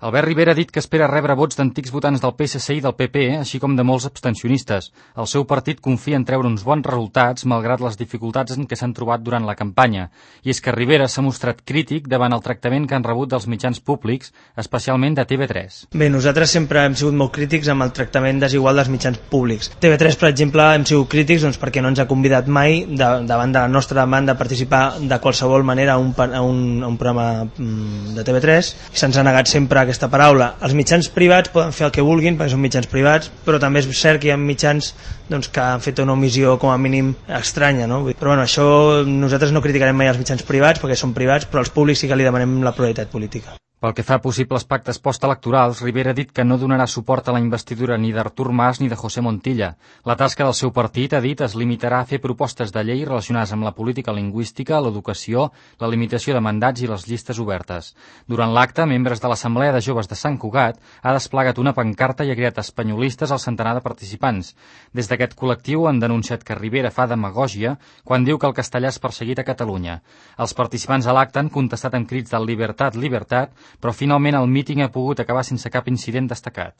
Albert Rivera ha dit que espera rebre vots d'antics votants del PSC i del PP, així com de molts abstencionistes. El seu partit confia en treure uns bons resultats, malgrat les dificultats en què s'han trobat durant la campanya. I és que Rivera s'ha mostrat crític davant el tractament que han rebut dels mitjans públics, especialment de TV3. Bé, nosaltres sempre hem sigut molt crítics amb el tractament desigual dels mitjans públics. TV3, per exemple, hem sigut crítics perquè no ens ha convidat mai, davant de la nostra demanda, a participar de qualsevol manera a un programa de TV3, i se'ns ha negat sempre aquesta paraula. Els mitjans privats poden fer el que vulguin perquè són mitjans privats, però també és cert que hi ha mitjans que han fet una omissió com a mínim estranya, no? Però bueno, això nosaltres no criticarem mai els mitjans privats perquè són privats, però als públics sí que li demanem la pluralitat política. Pel que fa a possibles pactes postelectorals, Rivera ha dit que no donarà suport a la investidura ni d'Artur Mas ni de José Montilla. La tasca del seu partit, ha dit, es limitarà a fer propostes de llei relacionades amb la política lingüística, l'educació, la limitació de mandats i les llistes obertes. Durant l'acte, membres de l'Assemblea de Joves de Sant Cugat ha desplegat una pancarta i ha creat espanyolistes al centenar de participants. Des d'aquest col·lectiu han denunciat que Rivera fa demagògia quan diu que el castellà és perseguit a Catalunya. Els participants a l'acte han contestat amb crits de «Libertat, libertat», però finalment el míting ha pogut acabar sense cap incident destacat.